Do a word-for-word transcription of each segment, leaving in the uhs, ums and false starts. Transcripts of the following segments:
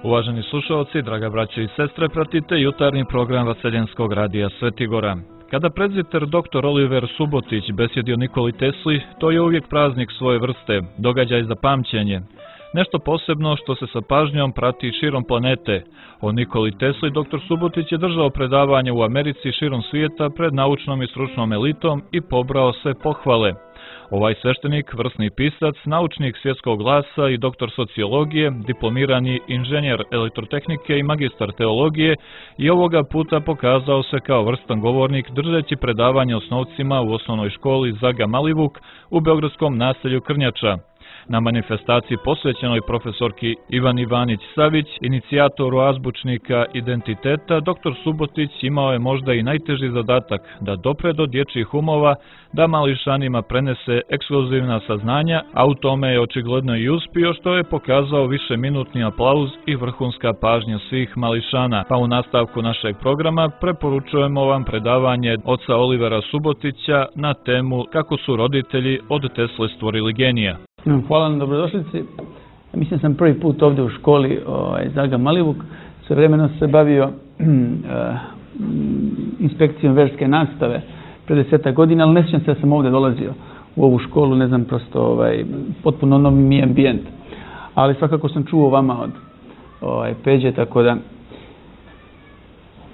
Uvaženi slušalci, draga braće i sestre, pratite jutarnji program Vaseljenskog radija Svetigora. Kada prezbiter doktor Oliver Subotić besjedi o Nikoli Tesli, to je uvijek praznik svoje vrste, događaj za pamćenje. Nešto posebno što se sa pažnjom prati širom planete. O Nikoli Tesli doktor Subotić je držao predavanje u Americi širom svijeta pred naučnom i stručnom elitom i pobrao sve pohvale. Ovaj sveštenik, vrsni pisac, naučnik svjetskog glasa i doktor sociologije, diplomirani inženjer elektrotehnike i magistar teologije, i ovoga puta pokazao se kao vrstan govornik držeći predavanje osnovcima u osnovnoj školi Zaga Malivuk u beogradskom naselju Krnjača. Na manifestaciji posvećenoj profesorki Ivan Ivanić Savić, inicijatoru azbučnika identiteta, doktor Subotić imao je možda i najteži zadatak da dopre do dječjih umova, da mališanima prenese ekskluzivna saznanja, a u tome je očigledno i uspio, što je pokazao višeminutni aplauz i vrhunska pažnja svih mališana. Pa u nastavku našeg programa preporučujemo vam predavanje oca Olivera Subotića na temu kako su roditelji od Tesle stvorili genija. Hvala na dobrodošlici. Mislim sam prvi put ovdje u školi ovaj, Zaga Malivuk. Sve vremeno se bavio uh, inspekcijom verske nastave pre deseta godina, ali ne sjećam se da sam ovdje dolazio u ovu školu, ne znam, prosto ovaj, potpuno novi mi ambijent. Ali svakako sam čuo vama od ovaj, Peđe, tako da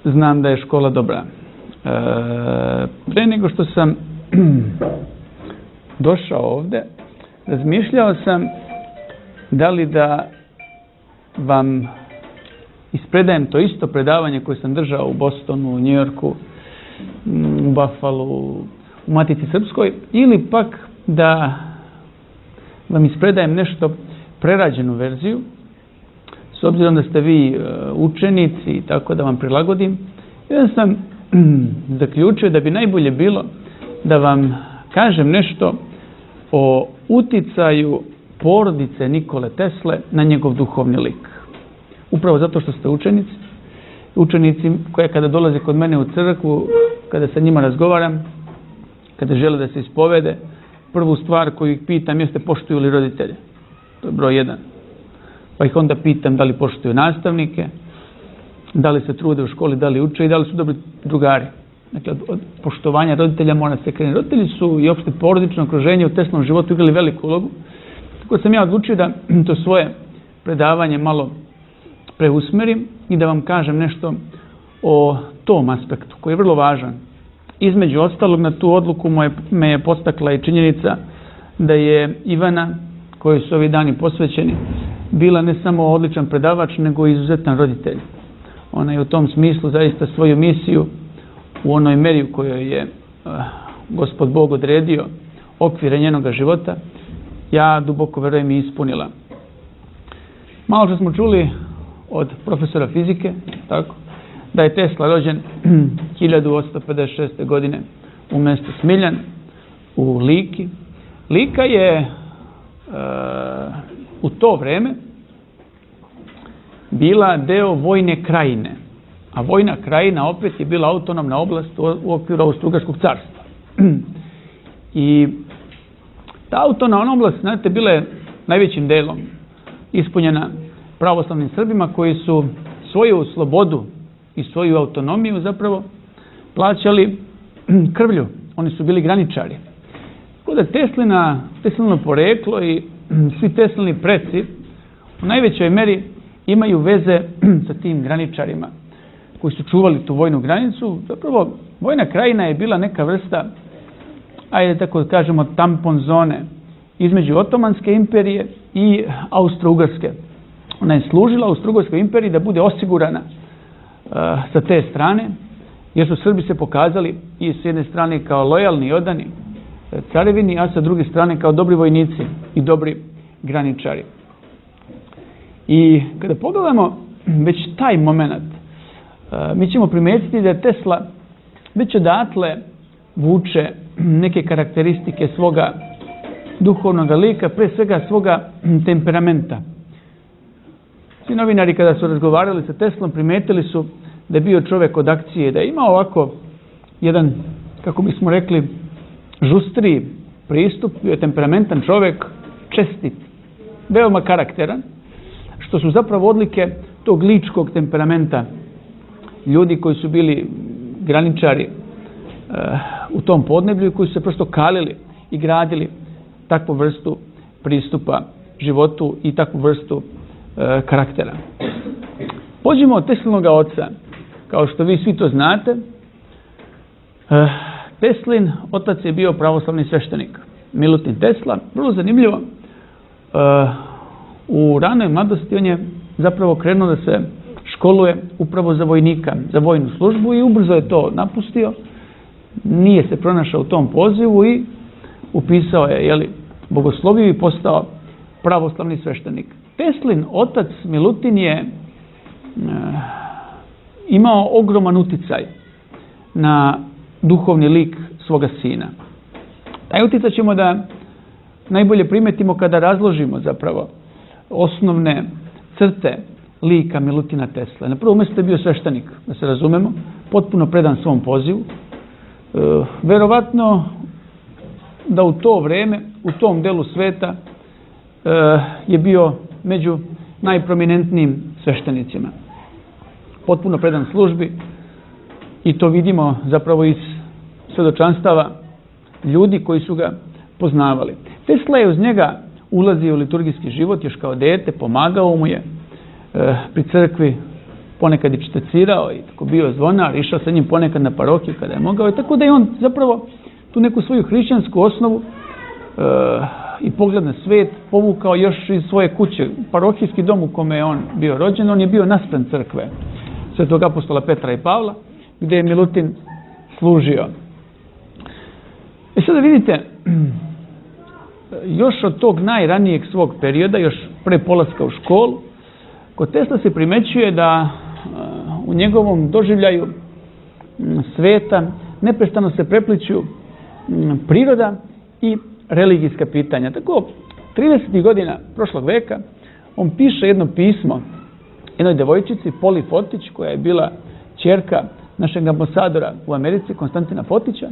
znam da je škola dobra. Uh, pre nego što sam došao ovdje, razmišljao sam da li da vam ispredajem to isto predavanje koje sam držao u Bostonu, u Njujorku, u Buffalu, u Matici Srpskoj, ili pak da vam ispredajem nešto prerađenu verziju, s obzirom da ste vi učenici i tako da vam prilagodim. Ja sam zaključio da bi najbolje bilo da vam kažem nešto o uticaju porodice Nikole Tesle na njegov duhovni lik. Upravo zato što ste učenici, učenici koje kada dolaze kod mene u crkvu, kada sa njima razgovaram, kada žele da se ispovede, prvu stvar koju ih pitam jeste poštuju li roditelje. To je broj jedan. Pa ih onda pitam da li poštuju nastavnike, da li se trude u školi, da li uče i da li su dobri drugari. Dakle, od poštovanja roditelja mora se krenuti. Roditelji su i opšte porodično okruženje u Teslom životu igrali veliku ulogu. Tako sam ja odlučio da to svoje predavanje malo preusmerim i da vam kažem nešto o tom aspektu koji je vrlo važan. Između ostalog, na tu odluku me je postakla i činjenica da je Ivana, kojoj su ovi dani posvećeni, bila ne samo odličan predavač, nego i izuzetan roditelj. Ona je u tom smislu zaista svoju misiju u onoj meri u kojoj je uh, Gospod Bog odredio okvire njenoga života, ja duboko verujem i ispunila. Malo što smo čuli od profesora fizike, tako, da je Tesla rođen hiljadu osamsto pedeset šeste. godine u mjestu Smiljan, u Liki. Lika je uh, u to vreme bila deo vojne krajine. A vojna krajina opet je bila autonomna oblast u okviru Austro-Ugarskog carstva. I ta autonomna oblast, znate, bila je najvećim delom ispunjena pravoslavnim Srbima koji su svoju slobodu i svoju autonomiju zapravo plaćali krvlju. Oni su bili graničari. Tako da Teslina, Teslino poreklo i svi Teslini preci u najvećoj meri imaju veze sa tim graničarima koji su čuvali tu vojnu granicu. Zapravo, vojna krajina je bila neka vrsta, ajde tako da kažemo, tampon zone između Otomanske imperije i Austro-Ugarske. Ona je služila Austro-Ugarskoj imperiji da bude osigurana uh, sa te strane, jer su Srbi se pokazali i s jedne strane kao lojalni i odani carevini, a sa druge strane kao dobri vojnici i dobri graničari. I kada pogledamo već taj moment, mi ćemo primetiti da je Tesla već odatle vuče neke karakteristike svoga duhovnog lika, pre svega svoga temperamenta. Svi novinari kada su razgovarali sa Teslom primetili su da je bio čovjek od akcije, da je imao ovako jedan, kako bismo rekli, žustriji pristup, bio je temperamentan čovjek, čestit, veoma karakteran, što su zapravo odlike tog ličkog temperamenta, ljudi koji su bili graničari uh, u tom podneblju i koji su se prosto kalili i gradili takvu vrstu pristupa životu i takvu vrstu uh, karaktera. Pođimo od Teslinog oca. Kao što vi svi to znate, uh, Teslin otac je bio pravoslavni sveštenik, Milutin Tesla. Vrlo zanimljivo, uh, u ranoj mladosti on je zapravo krenuo da se školuje upravo za vojnika, za vojnu službu i ubrzo je to napustio. Nije se pronašao u tom pozivu i upisao je, jeli, bogosloviju i postao pravoslavni sveštenik. Teslin otac Milutin je e, imao ogroman uticaj na duhovni lik svoga sina. Taj uticaj ćemo da najbolje primetimo kada razložimo zapravo osnovne crte lika Milutina Tesla. Na prvom mjestu je bio sveštenik, da se razumemo, potpuno predan svom pozivu. E, verovatno da u to vreme, u tom delu sveta e, je bio među najprominentnijim sveštenicima. Potpuno predan službi i to vidimo zapravo iz svedočanstava ljudi koji su ga poznavali. Tesla je uz njega ulazio u liturgijski život još kao dete, pomagao mu je e, pri crkvi, ponekad je čtecirao i tako bio zvonar, išao sa njim ponekad na parohiju kada je mogao i tako da je on zapravo tu neku svoju hrišćansku osnovu e, i pogled na svet povukao još iz svoje kuće. Parohijski dom u kome je on bio rođen, on je bio naspram crkve Svetog apostola Petra i Pavla, gdje je Milutin služio. E sada vidite, još od tog najranijeg svog perioda, još pre polaska u školu, kod Tesla se primećuje da u njegovom doživljaju sveta neprestano se prepliću priroda i religijska pitanja. Tako, tridesetih godina prošlog veka on piše jedno pismo jednoj devojčici, Poli Fotić, koja je bila ćerka našeg ambasadora u Americi, Konstantina Fotića,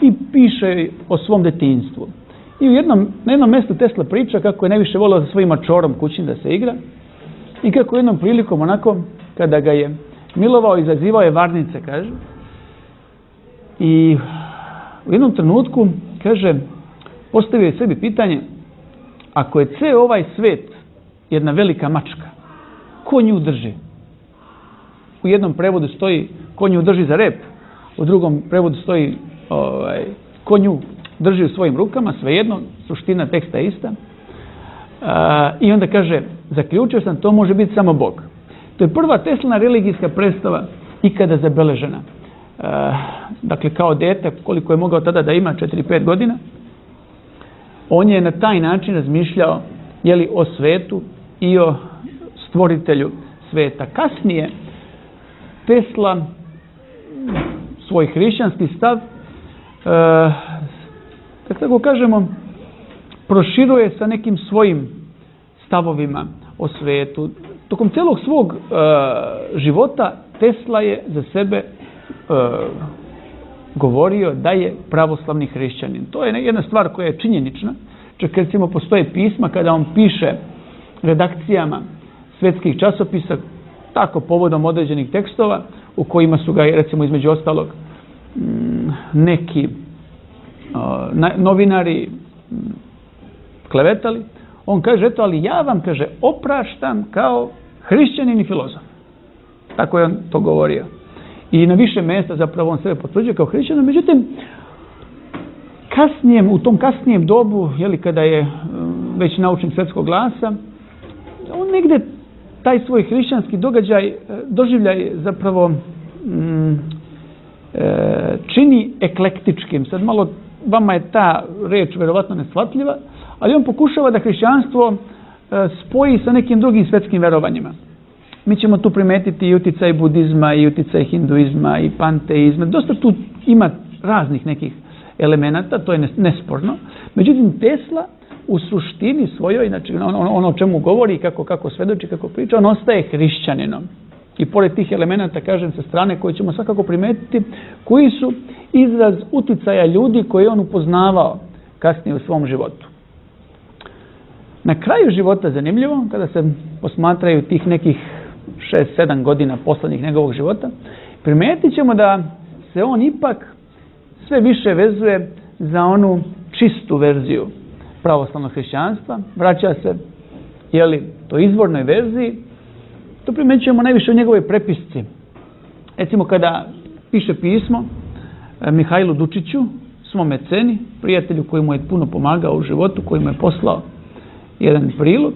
i piše o svom detinjstvu. I u jednom, na jednom mjestu Tesla priča kako je najviše volio sa svojim mačorom kućnim da se igra i kako jednom prilikom onako, kada ga je milovao, izazivao je varnice, kaže. I u jednom trenutku, kaže, postavio je sebi pitanje, ako je ceo ovaj svet jedna velika mačka, ko nju drži? U jednom prevodu stoji ko nju drži za rep, u drugom prevodu stoji ovaj, ko nju drži u svojim rukama, svejedno, suština teksta je ista. A, I onda kaže, zaključio sam, to može biti samo Bog. To je prva Teslina religijska predstava ikada zabeležena. A, dakle, kao dete, koliko je mogao tada da ima, četiri pet godina, on je na taj način razmišljao, jeli, o svetu i o stvoritelju sveta. Kasnije, Tesla svoj hrišćanski stav, e, kako tako kažemo, proširuje sa nekim svojim stavovima o svetu. Tokom celog svog e, života Tesla je za sebe e, govorio da je pravoslavni hrišćanin. To je jedna stvar koja je činjenična. Čak recimo postoje pisma kada on piše redakcijama svetskih časopisa tako povodom određenih tekstova u kojima su ga recimo između ostalog neki novinari klevetali. On kaže, eto, ali ja vam, kaže, opraštam kao hrišćanin i filozof. Tako je on to govorio. I na više mjesta zapravo on sebe potvrđuje kao hrišćanin. Međutim, kasnijem, u tom kasnijem dobu, jeli, kada je već naučnik svetskog glasa, on negde taj svoj hrišćanski događaj, doživljaj zapravo mm, e, čini eklektičkim. Sad malo vama je ta reč verovatno neshvatljiva, ali on pokušava da hrišćanstvo e, spoji sa nekim drugim svetskim verovanjima. Mi ćemo tu primetiti i uticaj budizma, i uticaj hinduizma, i panteizma. Dosta tu ima raznih nekih elemenata, to je nesporno. Međutim, Tesla u suštini svojoj, znači ono, ono o čemu govori, kako, kako svedoči, kako priča, on ostaje hrišćaninom. I pored tih elemenata, kažem, sa strane koje ćemo svakako primetiti, koji su izraz uticaja ljudi koje on upoznavao kasnije u svom životu. Na kraju života, zanimljivo, kada se posmatraju tih nekih šest sedam godina poslednjih njegovog života, primetit ćemo da se on ipak sve više vezuje za onu čistu verziju pravoslavnog hrišćanstva, vraća se jeli, to izvornoj verziji. To primećujemo najviše u njegovoj prepisci. Recimo kada piše pismo Mihajlu Dučiću, svom meceni, prijatelju koji mu je puno pomagao u životu, koji mu je poslao jedan prilog,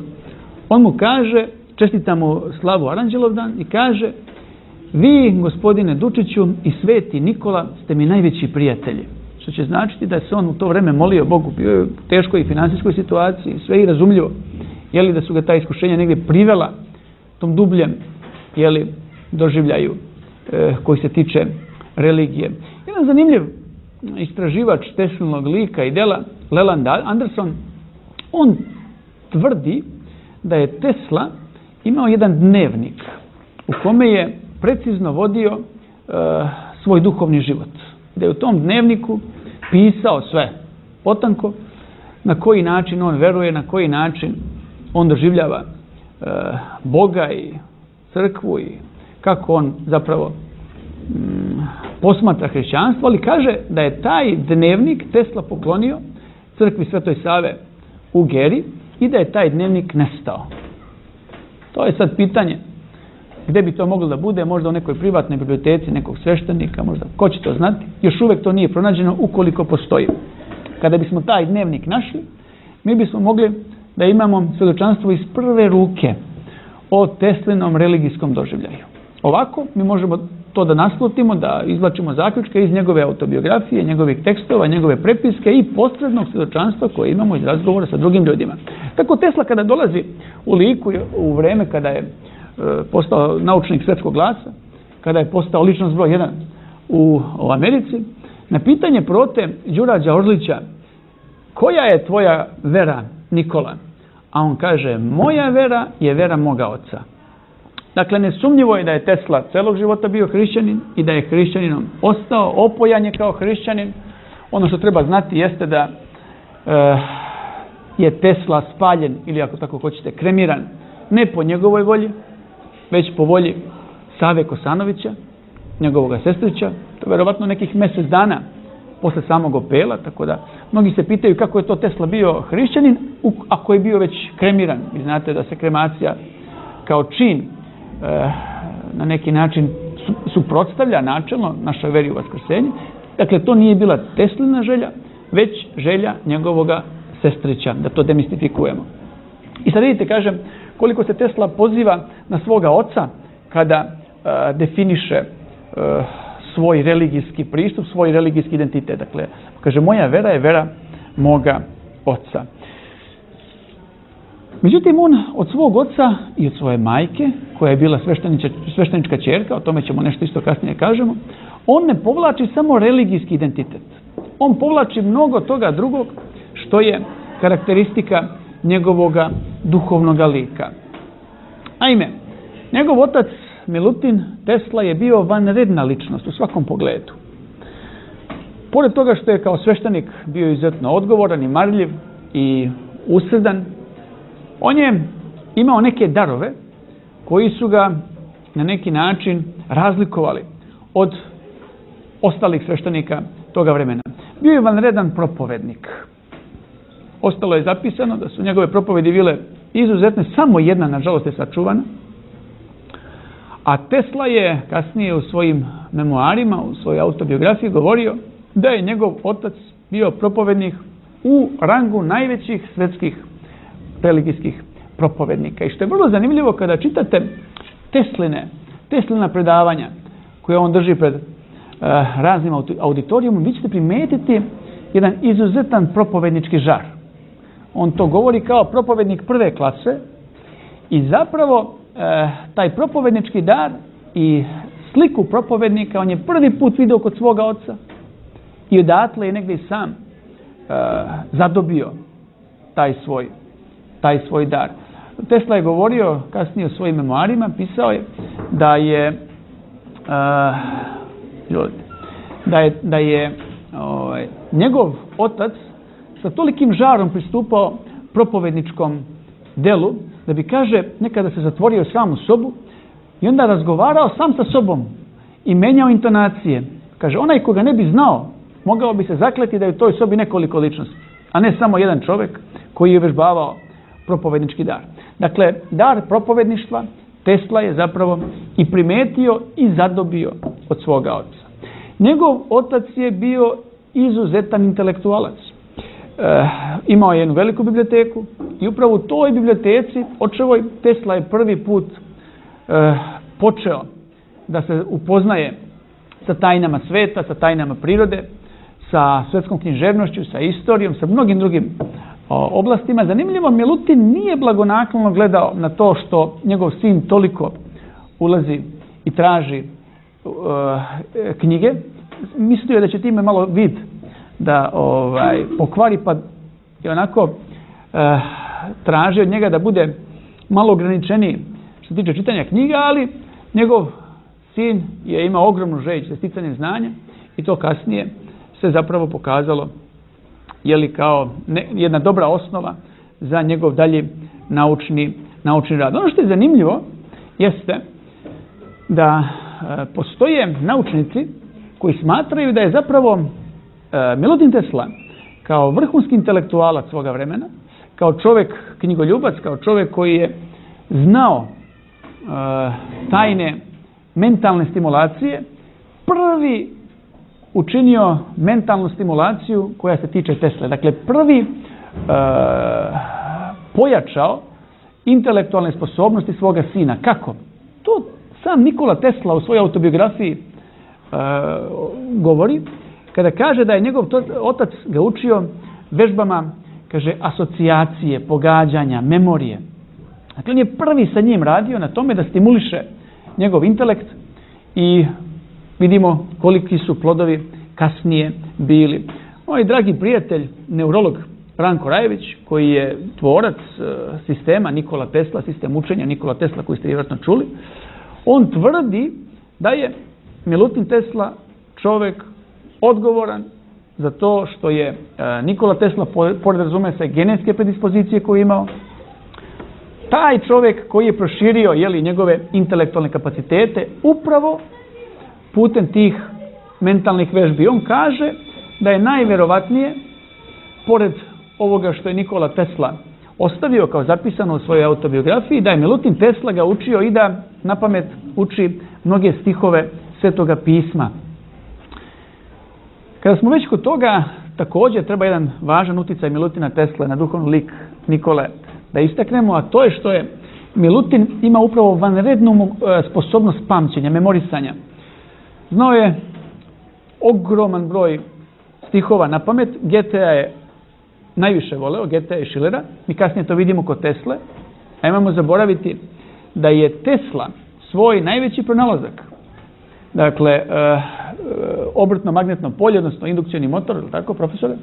on mu kaže, čestita mu slavu Aranđelovdan i kaže: vi, gospodine Dučiću, i sveti Nikola ste mi najveći prijatelji. Što će značiti da se on u to vreme molio Bogu, bio je u teškoj finansijskoj situaciji, sve i razumljivo, jeli da su ga ta iskušenja negdje privela tom dubljem jeli, doživljaju e, koji se tiče religije. Jedan zanimljiv istraživač Teslinog lika i dela, Leland Anderson, on tvrdi da je Tesla imao jedan dnevnik u kome je precizno vodio e, svoj duhovni život. Da je u tom dnevniku pisao sve potanko, na koji način on veruje, na koji način on doživljava e, Boga i crkvu i kako on zapravo mm, posmatra hrišćanstvo, ali kaže da je taj dnevnik Tesla poklonio crkvi Svetoj Save u Geri i da je taj dnevnik nestao. To je sad pitanje gdje bi to moglo da bude, možda u nekoj privatnoj biblioteci nekog sveštenika, možda ko će to znati. Još uvijek to nije pronađeno ukoliko postoji. Kada bismo taj dnevnik našli, mi bismo mogli da imamo svjedočanstvo iz prve ruke o Teslinom religijskom doživljaju. Ovako mi možemo to da naslutimo, da izvlačimo zaključke iz njegove autobiografije, njegovih tekstova, njegove prepiske i posrednog svjedočanstva koje imamo iz razgovora sa drugim ljudima. Tako Tesla kada dolazi u liku u vreme kada je e, postao naučnik svetskog glasa, kada je postao ličnost broj jedan u, u Americi, na pitanje prote Đurađa Orlića: koja je tvoja vera, Nikola? A on kaže: moja vera je vera moga oca. Dakle, nesumnjivo je da je Tesla celog života bio hrišćanin i da je hrišćaninom ostao, opojan je kao hrišćanin. Ono što treba znati jeste da e, je Tesla spaljen, ili ako tako hoćete, kremiran, ne po njegovoj volji, već po volji Save Kosanovića, njegovog sestrića. To je verovatno nekih mjesec dana posle samog opela, tako da mnogi se pitaju kako je to Tesla bio hrišćanin ako je bio već kremiran. Vi znate da se kremacija kao čin e, na neki način suprotstavlja načelno našoj veri u vaskrsenje. Dakle, to nije bila Teslina želja, već želja njegovoga sestrića, da to demistifikujemo. I sad vidite, kažem, koliko se Tesla poziva na svoga oca kada e, definiše e, svoj religijski pristup, svoj religijski identitet. Dakle, kaže: moja vera je vera moga oca. Međutim, on od svog oca i od svoje majke, koja je bila sveštenička ćerka, o tome ćemo nešto isto kasnije kažemo, on ne povlači samo religijski identitet. On povlači mnogo toga drugog što je karakteristika njegovoga duhovnoga lika. Naime, njegov otac Milutin Tesla je bio vanredna ličnost u svakom pogledu. Pored toga što je kao sveštenik bio izuzetno odgovoran i marljiv i usredan, on je imao neke darove koji su ga na neki način razlikovali od ostalih sveštenika toga vremena. Bio je vanredan propovednik. Ostalo je zapisano da su njegove propovedi bile izuzetne, samo jedna, nažalost, je sačuvana. A Tesla je kasnije u svojim memoarima, u svojoj autobiografiji govorio da je njegov otac bio propovednik u rangu najvećih svetskih religijskih propovednika. I što je vrlo zanimljivo kada čitate Tesline, Teslina predavanja koje on drži pred uh, raznim auditorijumom, vi ćete primetiti jedan izuzetan propovednički žar. On to govori kao propovednik prve klase i zapravo e, taj propovednički dar i sliku propovednika on je prvi put vidio kod svoga oca i odatle je negdje sam e, zadobio taj svoj, taj svoj dar. Tesla je govorio kasnije u svojim memoarima, pisao je da je e, da je, da je ovaj, njegov otac sa tolikim žarom pristupao propovedničkom delu, da bi, kaže, nekada se zatvorio sam u sobu i onda razgovarao sam sa sobom i menjao intonacije. Kaže, onaj koga ne bi znao, mogao bi se zakleti da je u toj sobi nekoliko ličnosti, a ne samo jedan čovjek koji je vežbavao propovednički dar. Dakle, dar propovedništva Tesla je zapravo i primetio i zadobio od svoga oca. Njegov otac je bio izuzetan intelektualac. E, imao je jednu veliku biblioteku i upravo u toj biblioteci očevoj Tesla je prvi put e, počeo da se upoznaje sa tajnama sveta, sa tajnama prirode, sa svetskom književnošću, sa istorijom, sa mnogim drugim o, oblastima. Zanimljivo, Milutin nije blagonaklono gledao na to što njegov sin toliko ulazi i traži uh, knjige. Mislio je da će time malo vid da ovaj, pokvari, pa je onako uh, traži od njega da bude malo ograničeniji što se tiče čitanja knjiga, ali njegov sin je imao ogromnu želju za sticanje znanja i to kasnije se zapravo pokazalo je li kao ne, jedna dobra osnova za njegov dalji naučni, naučni rad. Ono što je zanimljivo jeste da e, postoje naučnici koji smatraju da je zapravo e, Milutin Tesla kao vrhunski intelektualac svoga vremena, kao čovjek knjigoljubac, kao čovjek koji je znao e, tajne mentalne stimulacije, prvi učinio mentalnu stimulaciju koja se tiče Tesle. Dakle, prvi e, pojačao intelektualne sposobnosti svoga sina. Kako? To sam Nikola Tesla u svojoj autobiografiji e, govori, kada kaže da je njegov to, otac ga učio vežbama, kaže, asocijacije, pogađanja, memorije. Dakle, on je prvi sa njim radio na tome da stimuliše njegov intelekt i vidimo koliki su plodovi kasnije bili. Moj dragi prijatelj, neurolog Ranko Rajević, koji je tvorac sistema Nikola Tesla, sistem učenja Nikola Tesla koji ste vjerojatno čuli, on tvrdi da je Milutin Tesla čovjek odgovoran za to što je Nikola Tesla, pored razume se genetske predispozicije koje je imao, taj čovjek koji je proširio jeli, njegove intelektualne kapacitete upravo putem tih mentalnih vežbi. On kaže da je najvjerovatnije, pored ovoga što je Nikola Tesla ostavio kao zapisano u svojoj autobiografiji, da je Milutin Tesla ga učio i da na pamet uči mnoge stihove Svetoga pisma. Kada smo već kod toga, također treba jedan važan uticaj Milutina Tesle na duhovni lik Nikole da istaknemo, a to je što je Milutin ima upravo vanrednu sposobnost pamćenja, memorisanja. Znao je ogroman broj stihova na pamet. Goethea je najviše voleo, Goethea i Schillera. Mi kasnije to vidimo kod Tesle. A imamo zaboraviti da je Tesla svoj najveći pronalazak, dakle, e, e, obrtno magnetno polje, odnosno indukcioni motor, ili tako, profesore?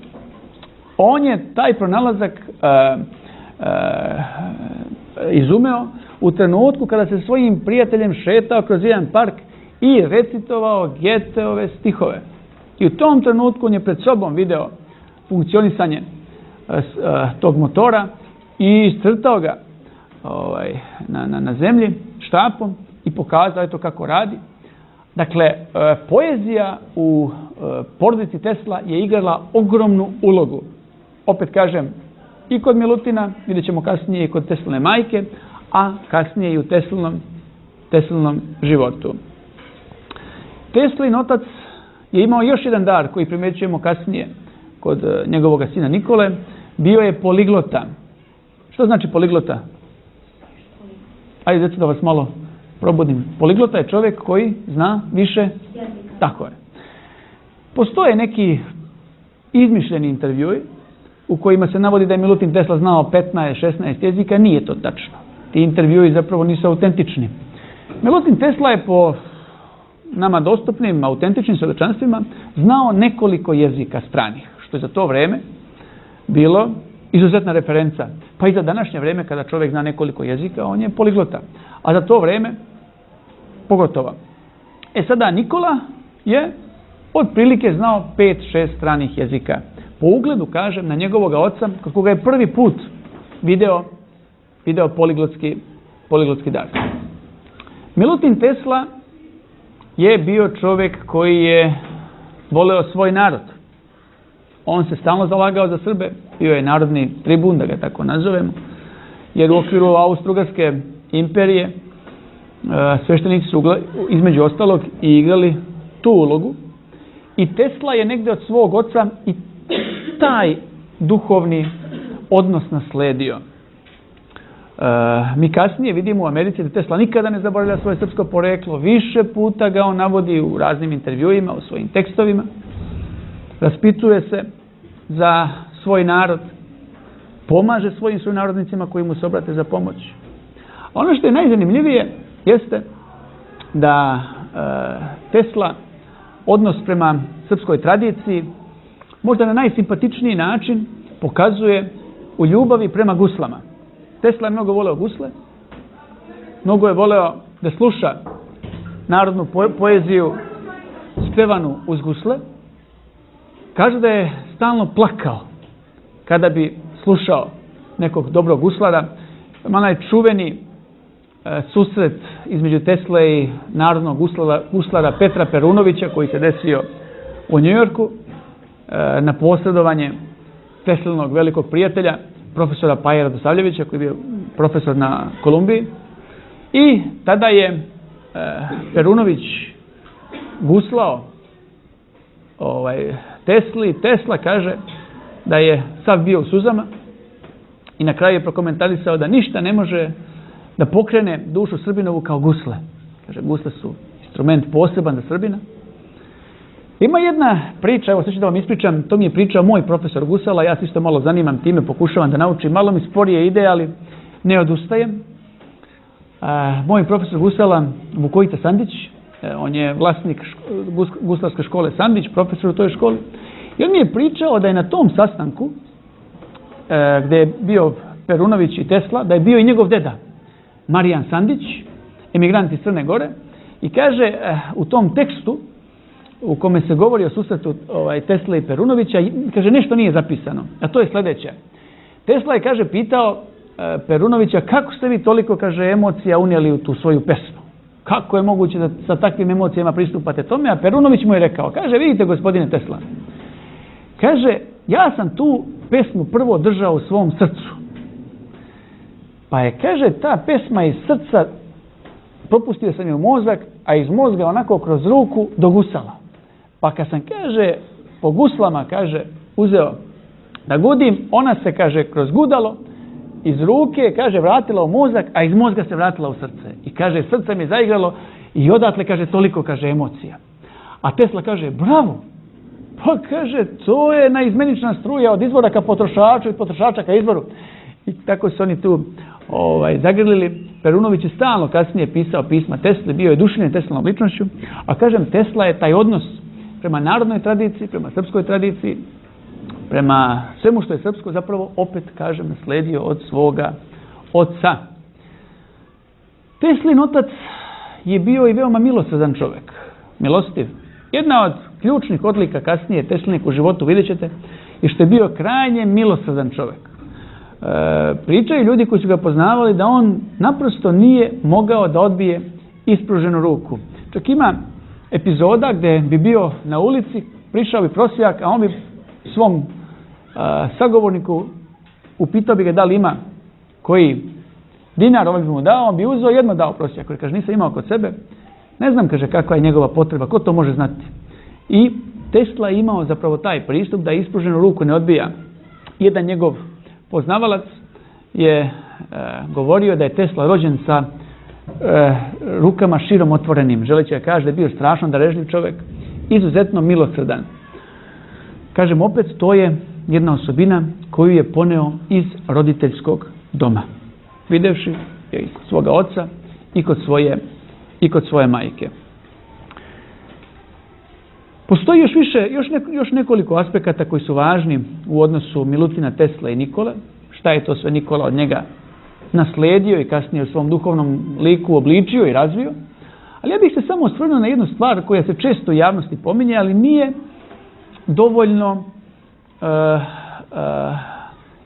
On je taj pronalazak e, e, izumeo u trenutku kada se svojim prijateljem šetao kroz jedan park i recitovao Goetheove stihove. I u tom trenutku on je pred sobom video funkcionisanje uh, tog motora i iscrtao ga ovaj, na, na, na zemlji štapom i pokazao eto kako radi. Dakle, uh, poezija u uh, porodici Tesla je igrala ogromnu ulogu. Opet kažem, i kod Milutina, vidjet ćemo kasnije i kod Tesline majke, a kasnije i u Teslinom, Teslinom životu. Teslin otac je imao još jedan dar koji primjećujemo kasnije kod njegovog sina Nikole. Bio je poliglota. Što znači poliglota? Ajde, da vas malo probudim. Poliglota je čovjek koji zna više jezika. Tako je. Postoje neki izmišljeni intervjui u kojima se navodi da je Milutin Tesla znao petnaest šesnaest jezika. Nije to tačno. Ti intervjui zapravo nisu autentični. Milutin Tesla je po nama dostupnim, autentičnim svjedočanstvima znao nekoliko jezika stranih, što je za to vrijeme bilo izuzetna referenca. Pa i za današnje vrijeme kada čovjek zna nekoliko jezika, on je poliglota. A za to vrijeme pogotovo. E sada Nikola je otprilike znao pet šest stranih jezika. Po ugledu, kažem, na njegovog oca, kod koga je prvi put video, video poliglotski, poliglotski dar. Milutin Tesla je bio čovjek koji je voleo svoj narod. On se stalno zalagao za Srbe, bio je narodni tribun, da ga tako nazovemo, jer u okviru Austro-Ugarske imperije sveštenici su između ostalog i igrali tu ulogu. I Tesla je negdje od svog oca i taj duhovni odnos nasledio. E, mi kasnije vidimo u Americi da Tesla nikada ne zaboravlja svoje srpsko poreklo. Više puta ga on navodi u raznim intervjuima, u svojim tekstovima. Raspituje se za svoj narod. Pomaže svojim sunarodnicima koji mu se obrate za pomoć. Ono što je najzanimljivije jeste da e, Tesla odnos prema srpskoj tradiciji možda na najsimpatičniji način pokazuje u ljubavi prema guslama. Tesla je mnogo voleo gusle, mnogo je voleo da sluša narodnu poeziju spevanu uz gusle. Kaže da je stalno plakao kada bi slušao nekog dobrog guslara. Onaj čuveni e, susret između Tesle i narodnog guslara, guslara Petra Perunovića koji se desio u Njujorku e, na posredovanje Teslinog velikog prijatelja, profesora Pajera Dosavljevića, koji je bio profesor na Kolumbiji. I tada je e, Perunović guslao ovaj, Tesli. Tesla kaže da je sav bio u suzama i na kraju je prokomentarisao da ništa ne može da pokrene dušu Srbinovu kao gusle. Kaže, gusle su instrument poseban za Srbina. Ima jedna priča, evo sad ću da vam ispričam, to mi je pričao moj profesor gusala, ja se isto malo zanimam time, pokušavam da naučim, malo mi sporije ide, ali ne odustajem. A, moj profesor gusala, Vukojica Sandić, on je vlasnik ško, guslarske škole Sandić, profesor u toj školi, i on mi je pričao da je na tom sastanku, e, gde je bio Perunović i Tesla, da je bio i njegov deda, Marijan Sandić, emigrant iz Crne Gore, i kaže e, u tom tekstu, u kome se govori o susretu ovaj, Tesla i Perunovića, kaže, nešto nije zapisano, a to je sljedeće. Tesla je, kaže, pitao e, Perunovića, kako ste vi toliko, kaže, emocija unijeli u tu svoju pesmu? Kako je moguće da sa takvim emocijama pristupate tome? A Perunović mu je rekao, kaže, vidite, gospodine Tesla, kaže, ja sam tu pesmu prvo držao u svom srcu. Pa je, kaže, ta pesma iz srca, propustio sam je u mozak, a iz mozga onako kroz ruku do gusala. Pa kad sam, kaže, po guslama, kaže, uzeo da gudim, ona se, kaže, kroz gudalo, iz ruke, kaže, vratila u mozak, a iz mozga se vratila u srce. I kaže, srce mi je zaigralo i odatle, kaže, toliko, kaže, emocija. A Tesla kaže, bravo! Pa kaže, to je naizmenična struja od izvora ka potrošaču i potrošača ka izvoru. I tako su oni tu ovaj, zagrlili. Perunović je stalno kasnije pisao pisma Tesli, bio je duševljen Teslanom ličnošću, a kažem, Tesla je taj odnos prema narodnoj tradiciji, prema srpskoj tradiciji, prema svemu što je srpsko, zapravo opet, kažem, nasledio od svoga oca. Teslin otac je bio i veoma milosrdan čovjek, milostiv. Jedna od ključnih odlika kasnije Teslinik u životu, vidjet ćete, je što je bio krajnje milosrdan čovjek. E, pričaju ljudi koji su ga poznavali da on naprosto nije mogao da odbije ispruženu ruku. Čak ima epizoda gdje bi bio na ulici, prišao bi prosjak, a on bi svom a, sagovorniku upitao bi ga da li ima koji dinar, on bi mu dao, on bi uzeo, jedno dao prosjak, jer kaže, nisam imao kod sebe, ne znam, kaže, kakva je njegova potreba, ko to može znati. I Tesla je imao zapravo taj pristup da ispruženu ruku ne odbija. Jedan njegov poznavalac je e, govorio da je Tesla rođen sa e, rukama širom otvorenim, želeći da kaže da je bio strašno darežljiv čovjek, izuzetno milosrdan. Kažem, opet, to je jedna osobina koju je poneo iz roditeljskog doma. Videvši je i kod svoga oca i kod svoje, i kod svoje majke. Postoji još više, još, ne, još nekoliko aspekata koji su važni u odnosu Milutina Tesla i Nikole. Šta je to sve Nikola od njega nasledio i kasnije u svom duhovnom liku obličio i razvio. Ali ja bih se samo osvrnuo na jednu stvar koja se često u javnosti pominje, ali nije dovoljno uh, uh,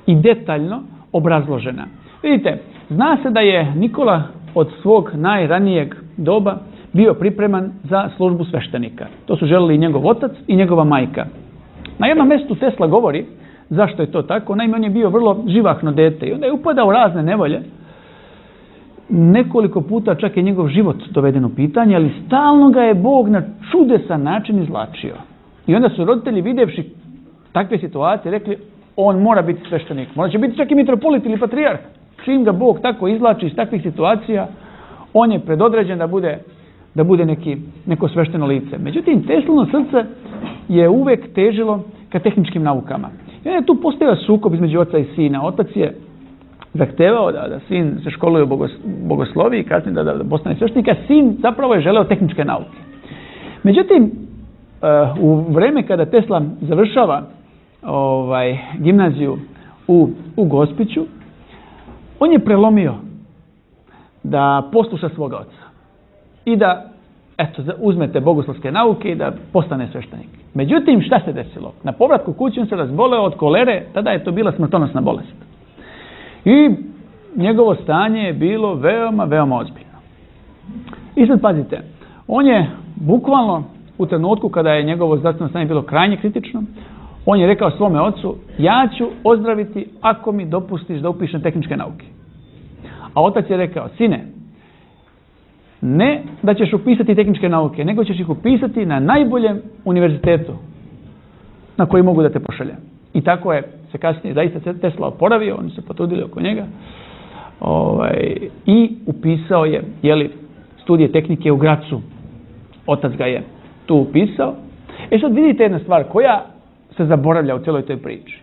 i detaljno obrazložena. Vidite, zna se da je Nikola od svog najranijeg doba bio pripreman za službu sveštenika. To su želeli i njegov otac i njegova majka. Na jednom mjestu Tesla govori zašto je to tako. Naime, on je bio vrlo živahno dete i onda je upadao u razne nevolje. Nekoliko puta čak je njegov život doveden u pitanje, ali stalno ga je Bog na čudesan način izvlačio. I onda su roditelji vidjevši takve situacije rekli, on mora biti sveštenik. Možda će biti čak i mitropolit ili patrijarh. Čim ga Bog tako izvlači iz takvih situacija, on je predodređen da bude, da bude neki, neko svešteno lice. Međutim, Teslino srce je uvek težilo ka tehničkim naukama. I onda je tu postojao sukob između oca i sina. Otac je zahtevao da, da sin se školuje u bogosloviji, kasnije da, da, da postane sveštenik, a sin zapravo je želeo tehničke nauke. Međutim, u vrijeme kada Tesla završava ovaj, gimnaziju u, u Gospiću, on je prelomio da posluša svoga oca i da eto, uzmete bogoslovske nauke i da postane sveštenik. Međutim, šta se desilo? Na povratku kući on se razboleo od kolere, tada je to bila smrtonosna bolest. I njegovo stanje je bilo veoma, veoma ozbiljno. I sad pazite, on je bukvalno u trenutku kada je njegovo zdravstveno stanje bilo krajnje kritično, on je rekao svome ocu, ja ću ozdraviti ako mi dopustiš da upišem tehničke nauke. A otac je rekao, sine, ne da ćeš upisati tehničke nauke, nego ćeš ih upisati na najboljem univerzitetu na koji mogu da te pošaljem. I tako je se kasnije zaista Tesla oporavio, oni se potrudili oko njega ovaj, i upisao je jeli, studije tehnike u Gracu. Otac ga je tu upisao. E sad vidite jedna stvar koja se zaboravlja u cijeloj toj priči.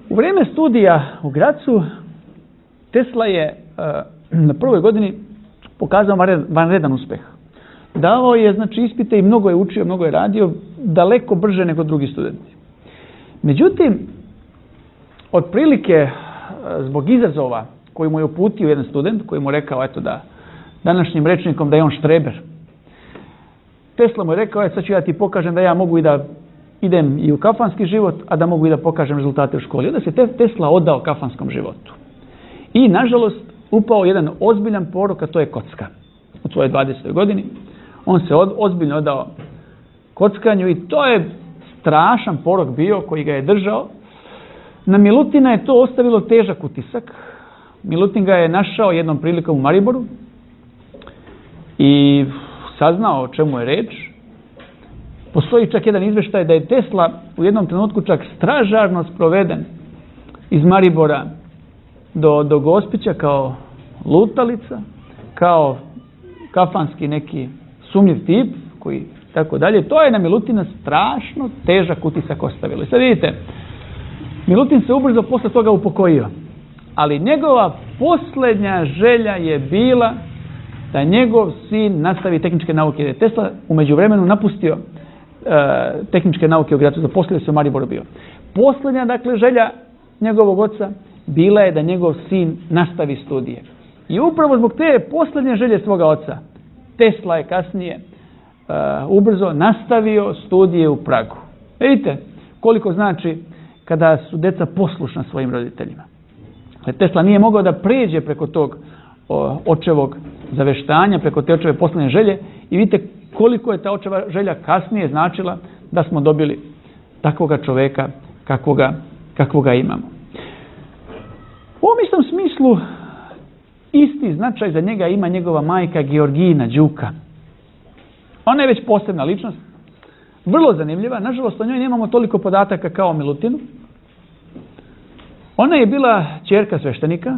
U vrijeme studija u Gracu Tesla je uh, na prvoj godini pokazao vanredan uspjeh. Davao je znači ispite i mnogo je učio, mnogo je radio, daleko brže nego drugi studenti. Međutim, otprilike zbog izazova koji mu je uputio jedan student, koji mu je rekao eto da današnjim rečnikom da je on štreber. Tesla mu je rekao, e, sad ću ja ti pokažem da ja mogu i da idem i u kafanski život, a da mogu i da pokažem rezultate u školi. Onda se Tesla odao kafanskom životu. I, nažalost, upao jedan ozbiljan porok, a to je kocka. U svojoj dvadesetoj godini. On se od, ozbiljno odao kockanju i to je strašan porok bio koji ga je držao. Na Milutina je to ostavilo težak utisak. Milutin ga je našao jednom prilikom u Mariboru i saznao o čemu je reč. Postoji čak jedan izveštaj da je Tesla u jednom trenutku čak stražarno sproveden iz Maribora do, do Gospića kao lutalica, kao kafanski neki sumnjiv tip koji tako dalje. To je na Milutina strašno težak utisak ostavilo. I sad vidite, Milutin se ubrzo posle toga upokojio. Ali njegova posljednja želja je bila da njegov sin nastavi tehničke nauke. Jer je Tesla u međuvremenu napustio e, tehničke nauke u Gracu, zaposlio se u Mariboru bio. Posljednja, dakle, želja njegovog oca bila je da njegov sin nastavi studije. I upravo zbog te posljednje želje svoga oca, Tesla je kasnije uh, ubrzo nastavio studije u Pragu. Vidite koliko znači kada su deca poslušna svojim roditeljima. Tesla nije mogao da pređe preko tog o, očevog zaveštanja, preko te očeve posljednje želje i vidite koliko je ta očeva želja kasnije značila da smo dobili takvoga čoveka kakvoga, kakvoga imamo. U ovom istom smislu isti značaj za njega ima njegova majka Georgina Đuka. Ona je već posebna ličnost, vrlo zanimljiva. Nažalost, o njoj nemamo toliko podataka kao o Milutinu. Ona je bila ćerka sveštenika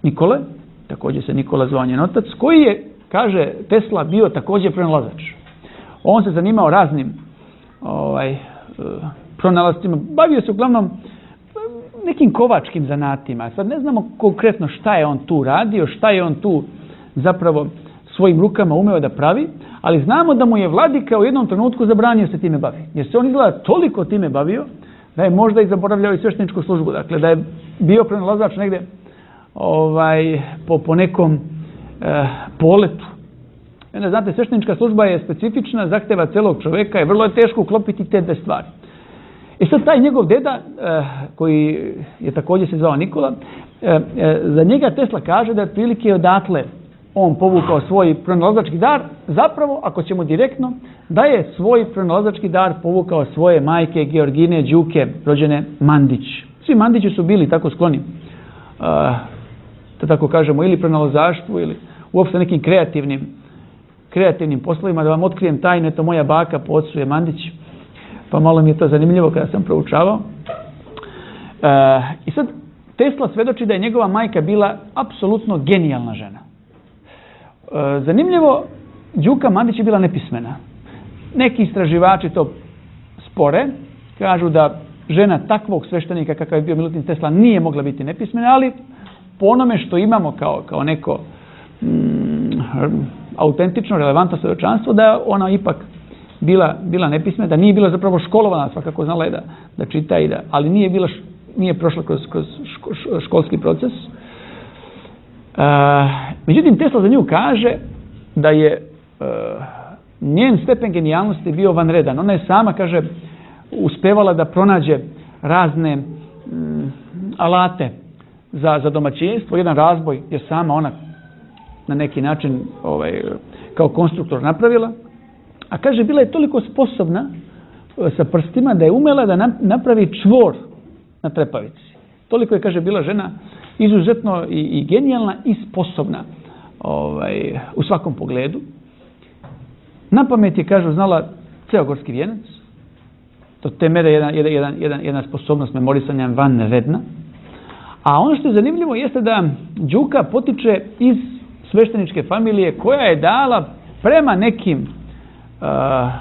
Nikole, također se Nikola zvao njen otac, koji je, kaže Tesla, bio također pronalazač. On se zanimao raznim ovaj, pronalascima. Bavio se uglavnom nekim kovačkim zanatima. Sad ne znamo konkretno šta je on tu radio, šta je on tu zapravo svojim rukama umeo da pravi, ali znamo da mu je vladika u jednom trenutku zabranio se time bavi. Jer se on izgleda toliko time bavio da je možda i zaboravljao i svešteničku službu. Dakle, da je bio pronalazač negdje ovaj, po, po nekom eh, poletu. Onda, znate, sveštenička služba je specifična, zahteva celog čoveka i vrlo je teško uklopiti te dve stvari. I sad taj njegov deda, eh, koji je također se zvao Nikola, eh, eh, za njega Tesla kaže da je otprilike odatle on povukao svoj pronalazački dar, zapravo, ako ćemo direktno, da je svoj pronalazački dar povukao svoje majke Georgine Đuke, rođene Mandić. Svi Mandići su bili tako skloni, uh, da tako kažemo, ili pronalazaštvu, ili uopšte nekim kreativnim, kreativnim poslovima. Da vam otkrijem tajnu, to moja baka po ocu je Mandić, pa malo mi je to zanimljivo kada sam proučavao. Uh, I sad, Tesla svedoči da je njegova majka bila apsolutno genijalna žena. E, zanimljivo, Đuka Mandić je bila nepismena. Neki istraživači to spore, kažu da žena takvog sveštenika kakav je bio Milutin Tesla nije mogla biti nepismena, ali po onome što imamo kao, kao neko mm, autentično, relevantno svjedočanstvo, da je ona ipak bila, bila nepismena, da nije bila zapravo školovana, svakako znala je da, da čita i da, ali nije bila nije prošla kroz, kroz ško, školski proces. E, međutim, Tesla za nju kaže da je e, njen stepen genijalnosti bio vanredan. Ona je sama, kaže, uspevala da pronađe razne m, alate za, za domaćinstvo, jedan razboj je sama ona na neki način ovaj, kao konstruktor napravila. A kaže, bila je toliko sposobna sa prstima da je umela da napravi čvor na trepavici. Toliko je, kaže, bila žena izuzetno i, i genijalna i sposobna ovaj, u svakom pogledu. Na pamet je, kažu, znala ceo gorski vijenac. Do te mere jedna, jedan, jedan, jedna sposobnost memorisanja vanredna. A ono što je zanimljivo jeste da Đuka potiče iz svešteničke familije koja je dala prema nekim uh,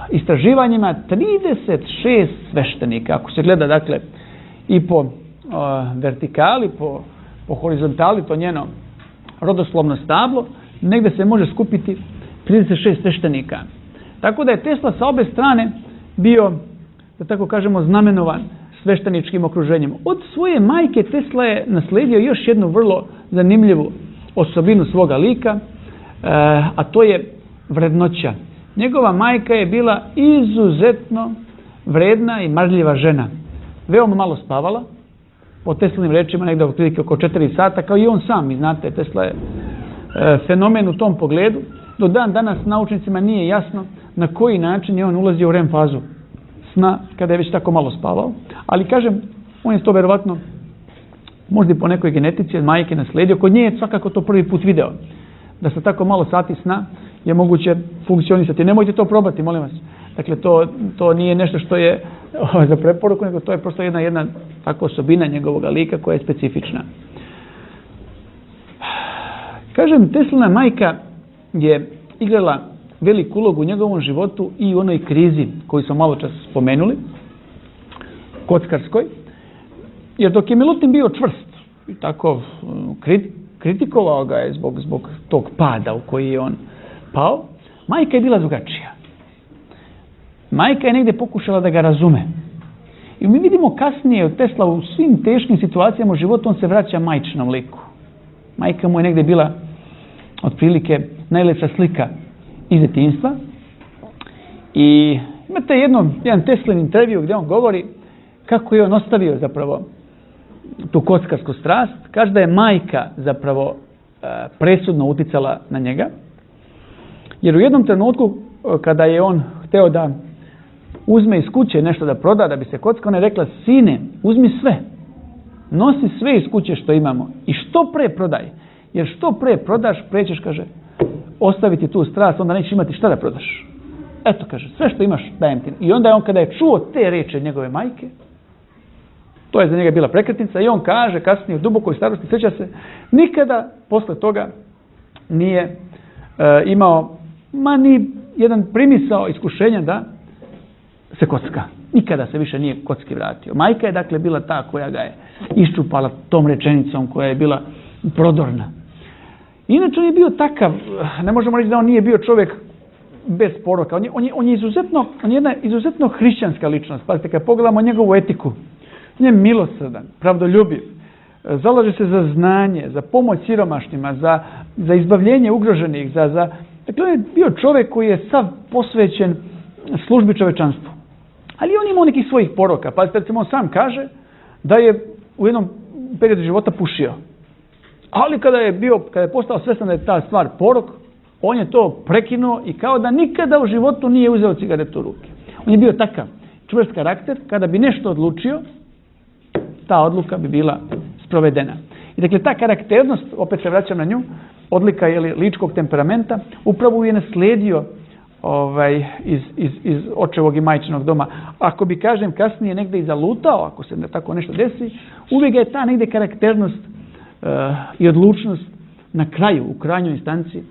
istraživanjima trideset šest sveštenika. Ako se gleda, dakle, i po uh, vertikali, po, po horizontali, to njeno rodoslovno stablo, negde se može skupiti trideset šest sveštenika. Tako da je Tesla sa obe strane bio, da tako kažemo, znamenovan svešteničkim okruženjem. Od svoje majke Tesla je nasledio još jednu vrlo zanimljivu osobinu svoga lika, uh, a to je vrednoća. Njegova majka je bila izuzetno vredna i marljiva žena. Veoma malo spavala, po Teslinim rečima negdje otprilike oko četiri sata, kao i on sam. I znate, Tesla je e, fenomen u tom pogledu. Do dan danas naučnicima nije jasno na koji način je on ulazio u R E M fazu sna kada je već tako malo spavao. Ali kažem, on je to verovatno možda i po nekoj genetici od majke nasledio. Kod nje je svakako to prvi put video. Da sa tako malo sati sna je moguće funkcionisati. Nemojte to probati, molim vas. Dakle, to, to nije nešto što je o, za preporuku, nego to je prosto jedna, jedna tako osobina njegovog lika koja je specifična. Kažem, Teslina majka je igrala veliku ulogu u njegovom životu i u onoj krizi koju smo malo čas spomenuli, kockarskoj, jer dok je Milutin bio čvrst i tako kritikovao ga je zbog, zbog tog pada u koji je on pao, majka je bila drugačija. Majka je negdje pokušala da ga razume. I mi vidimo kasnije od Tesla u svim teškim situacijama u životu, on se vraća majčinom liku. Majka mu je negdje bila otprilike najlepša slika iz djetinjstva. I imate jedno, jedan Teslin intervju gdje on govori kako je on ostavio zapravo tu kockarsku strast. Kaže da je majka zapravo presudno uticala na njega. Jer u jednom trenutku kada je on hteo da uzme iz kuće nešto da proda, da bi se kockao, ona je rekla: sine, uzmi sve. Nosi sve iz kuće što imamo i što pre prodaj. Jer što pre prodaš, pre ćeš, kaže, ostaviti tu strast, onda nećeš imati šta da prodaš. Eto, kaže, sve što imaš dajem ti. I onda je on, kada je čuo te reči njegove majke, to je za njega bila prekretnica, i on kaže kasnije u dubokoj starosti, sjeća se, nikada posle toga nije e, imao ma ni jedan primisao iskušenja da se kocka. Nikada se više nije kocki vratio. Majka je dakle bila ta koja ga je iščupala tom rečenicom, koja je bila prodorna. Inače on je bio takav, ne možemo reći da on nije bio čovjek bez poroka. On je, on je, on je izuzetno, on je jedna izuzetno hrišćanska ličnost. Pazite, kad pogledamo njegovu etiku, on je milosrdan, pravdoljubiv, zalaže se za znanje, za pomoć siromašnima, za, za izbavljenje ugroženih, za, za... Dakle, on je bio čovjek koji je sav posvećen službi čovečanstvu. Ali on imao nekih svojih poroka. Pazite, recimo, on sam kaže da je u jednom periodu života pušio. Ali kada je bio, kada je postao svjestan da je ta stvar porok, on je to prekinuo i kao da nikada u životu nije uzeo cigaretu u ruke. On je bio takav čvrst karakter, kada bi nešto odlučio, ta odluka bi bila sprovedena. I dakle, ta karakternost, opet se vraćam na nju, odlika je li, ličkog temperamenta, upravo je naslijedio ovaj, iz, iz, iz očevog i majčinog doma. Ako bi, kažem, kasnije negdje i zalutao, ako se tako nešto desi, uvijek je ta negdje karakternost uh, i odlučnost na kraju, u krajnjoj instanci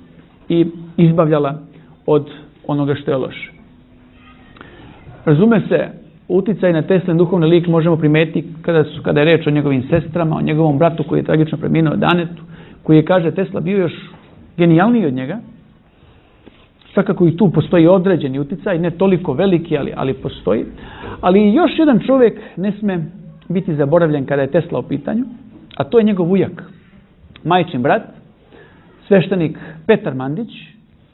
i izbavljala od onoga što je loše. Razume se, uticaj na Teslin duhovni lik možemo primetiti kada, su, kada je reč o njegovim sestrama, o njegovom bratu koji je tragično preminuo, Danetu, koji je, kaže Tesla, bio još genijalniji od njega. Svakako i tu postoji određeni uticaj, ne toliko veliki, ali, ali postoji. Ali još jedan čovjek ne sme biti zaboravljen kada je Tesla u pitanju, a to je njegov ujak, majčin brat, sveštenik Petar Mandić.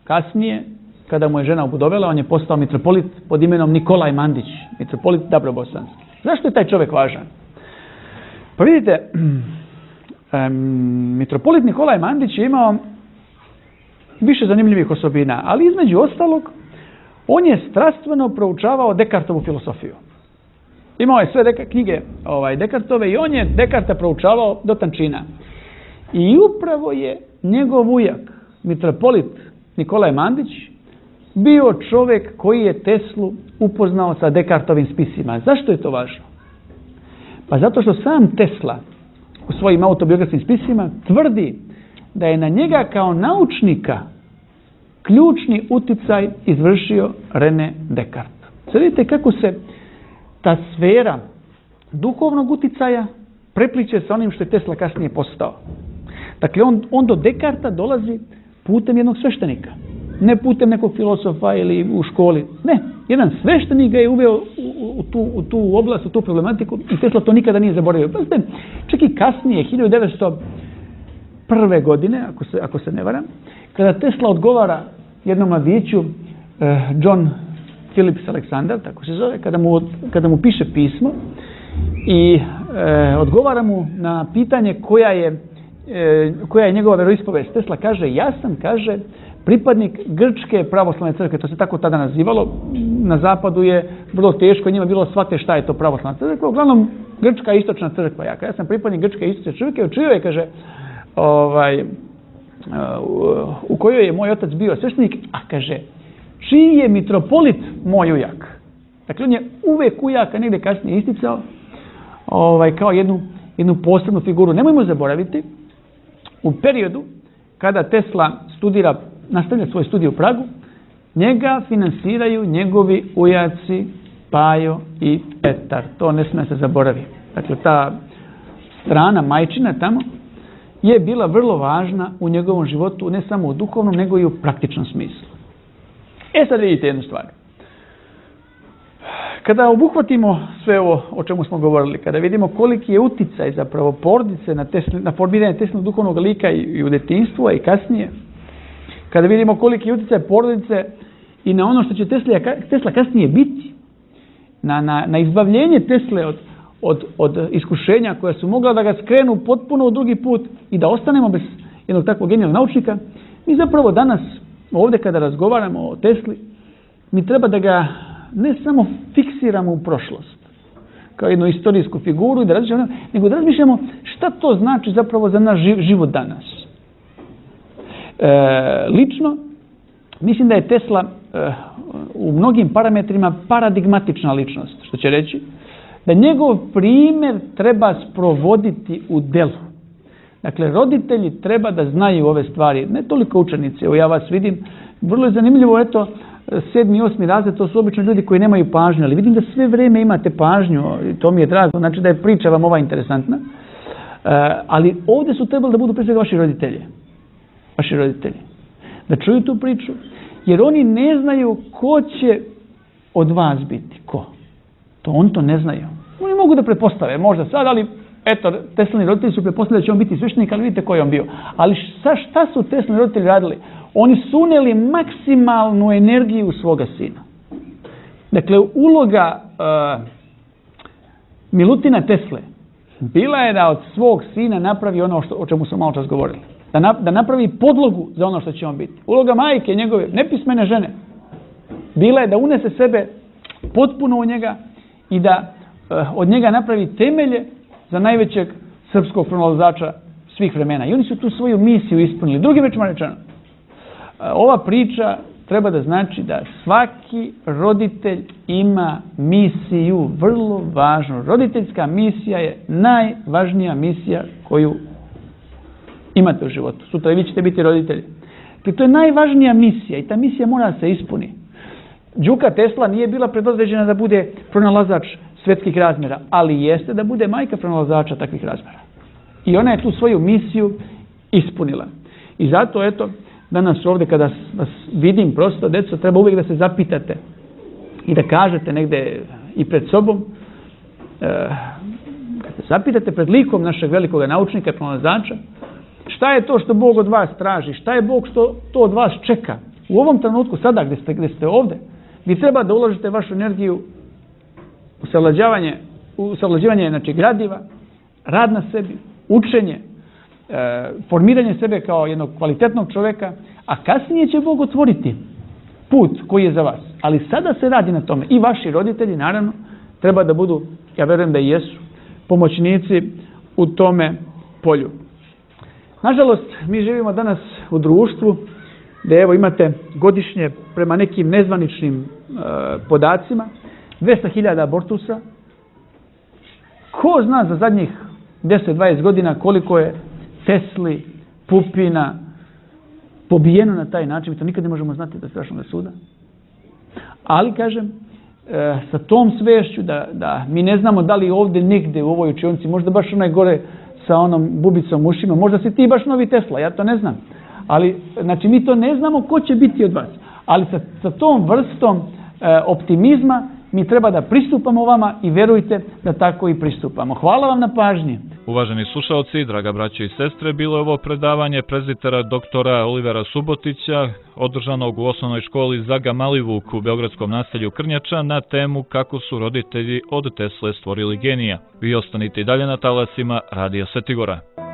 Kasnije, kada mu je žena obudovela, on je postao mitropolit pod imenom Nikolaj Mandić, mitropolit Dabrobosanski. Zašto je taj čovjek važan? Pa vidite, um, mitropolit Nikolaj Mandić je imao više zanimljivih osobina, ali između ostalog, on je strastveno proučavao Dekartovu filosofiju. Imao je sve deka, knjige ovaj, Dekartove i on je Dekarta proučavao do tančina. I upravo je njegov ujak, mitropolit Nikolaj Mandić, bio čovjek koji je Teslu upoznao sa Dekartovim spisima. Zašto je to važno? Pa zato što sam Tesla u svojim autobiografskim spisima tvrdi da je na njega kao naučnika ključni uticaj izvršio René Descartes. Sad vidite kako se ta sfera duhovnog uticaja prepliče sa onim što je Tesla kasnije postao. Dakle, on, on do Descartesa dolazi putem jednog sveštenika. Ne putem nekog filosofa ili u školi. Ne, jedan sveštenik ga je uveo u, u, u, tu, u tu oblast, u tu problematiku i Tesla to nikada nije zaboravio. Pa čak i kasnije, hiljadu devetsto prve godine, ako se, ako se ne varam, kada Tesla odgovara jednom mladiću, eh, John Phillips Alexander, tako se zove, kada mu, kada mu piše pismo i eh, odgovara mu na pitanje koja je, eh, koja je njegova veroispovest. Tesla kaže, ja sam, kaže, pripadnik Grčke pravoslavne crkve, to se tako tada nazivalo, na zapadu je vrlo teško, njima bilo shvate šta je to pravoslavna crkva, uglavnom Grčka istočna crkva, ja, ja sam pripadnik Grčke istočne crkve, učio je, kaže, ovaj, u kojoj je moj otac bio sveštenik, a kaže, čiji je mitropolit moj ujak. Dakle, on je uvek ujaka negdje kasnije isticao ovaj, kao jednu, jednu posebnu figuru. Nemojmo zaboraviti, u periodu kada Tesla studira, nastavlja svoj studij u Pragu, njega finansiraju njegovi ujaci Pajo i Petar. To ne smije se zaboraviti. Dakle, ta strana majčina tamo je bila vrlo važna u njegovom životu, ne samo u duhovnom, nego i u praktičnom smislu. E sad vidite jednu stvar. Kada obuhvatimo sve ovo o čemu smo govorili, kada vidimo koliki je uticaj zapravo porodice na, tesli, na formiranje Teslinog duhovnog lika i, i u detinjstvu, a i kasnije, kada vidimo koliki je uticaj porodice i na ono što će Tesla, Tesla kasnije biti, na, na, na izbavljenje Tesle od Od, od iskušenja koja su mogla da ga skrenu potpuno u drugi put i da ostanemo bez jednog takvog genijalnog naučnika, mi zapravo danas ovdje kada razgovaramo o Tesli, mi treba da ga ne samo fiksiramo u prošlost, kao jednu istorijsku figuru, i da razmišljamo, nego da razmišljamo šta to znači zapravo za naš život danas. E, lično, mislim da je Tesla e, u mnogim parametrima paradigmatična ličnost, što će reći, da njegov primjer treba sprovoditi u delu. Dakle, roditelji treba da znaju ove stvari, ne toliko učenici, evo ja vas vidim, vrlo je zanimljivo, eto, sedmi i osmi razred, to su obično ljudi koji nemaju pažnju, ali vidim da sve vrijeme imate pažnju, i to mi je drago, znači da je priča vam ova interesantna, e, ali ovdje su trebali da budu prije svega vaši roditelji, vaši roditelji, da čuju tu priču, jer oni ne znaju ko će od vas biti, ko. To on to ne znaju. Oni mogu da pretpostave, možda sad, ali eto, Teslini roditelji su pretpostavili da će on biti sveštenik, ali vidite ko je on bio. Ali šta, šta su Teslini roditelji radili? Oni su unijeli maksimalnu energiju u svoga sina. Dakle, uloga uh, Milutina Tesle bila je da od svog sina napravi ono što, o čemu smo malo čas govorili. Da, na, da napravi podlogu za ono što će on biti. Uloga majke njegove, nepismene žene, bila je da unese sebe potpuno u njega i da uh, od njega napravi temelje za najvećeg srpskog pronalazača svih vremena. I oni su tu svoju misiju ispunili. Drugim rečima rečeno, uh, ova priča treba da znači da svaki roditelj ima misiju, vrlo važnu. Roditeljska misija je najvažnija misija koju imate u životu. Sutra i vi ćete biti roditelji. To je najvažnija misija i ta misija mora da se ispuni. Đuka Tesla nije bila predodređena da bude pronalazač svetskih razmjera, ali jeste da bude majka pronalazača takvih razmjera. I ona je tu svoju misiju ispunila. I zato, eto, danas ovdje kada vas vidim prosto, djeco, treba uvijek da se zapitate i da kažete negdje i pred sobom, e, kad se zapitate pred likom našeg velikog naučnika i pronalazača, šta je to što Bog od vas traži, šta je Bog što to od vas čeka. U ovom trenutku, sada gdje ste, gdje ste ovdje, vi treba da uložite vašu energiju u savlađivanje, u savlađivanje znači, gradiva, rad na sebi, učenje, e, formiranje sebe kao jednog kvalitetnog čovjeka, a kasnije će Bog otvoriti put koji je za vas. Ali sada se radi na tome. I vaši roditelji, naravno, treba da budu, ja verujem da i jesu, pomoćnici u tome polju. Nažalost, mi živimo danas u društvu gdje evo imate godišnje prema nekim nezvaničnim e, podacima dvesta hiljada abortusa. Ko zna za zadnjih deset do dvadeset godina koliko je Tesli, Pupina pobijeno na taj način, mi to nikad ne možemo znati do strašnog suda. Ali, kažem, e, sa tom svešću da, da mi ne znamo da li ovdje negdje u ovoj učionici, možda baš onaj gore sa onom bubicom ušima, možda si ti baš novi Tesla, ja to ne znam. Ali, znači, mi to ne znamo ko će biti od vas. Ali sa, sa tom vrstom e, optimizma mi treba da pristupamo vama i verujte da tako i pristupamo. Hvala vam na pažnji. Uvaženi slušalci, draga braće i sestre, bilo je ovo predavanje prezbitera doktora Olivera Subotića, održanog u osnovnoj školi Zaga Malivuk u beogradskom naselju Krnjača na temu kako su roditelji od Tesle stvorili genija. Vi ostanite i dalje na talasima Radija Svetigora.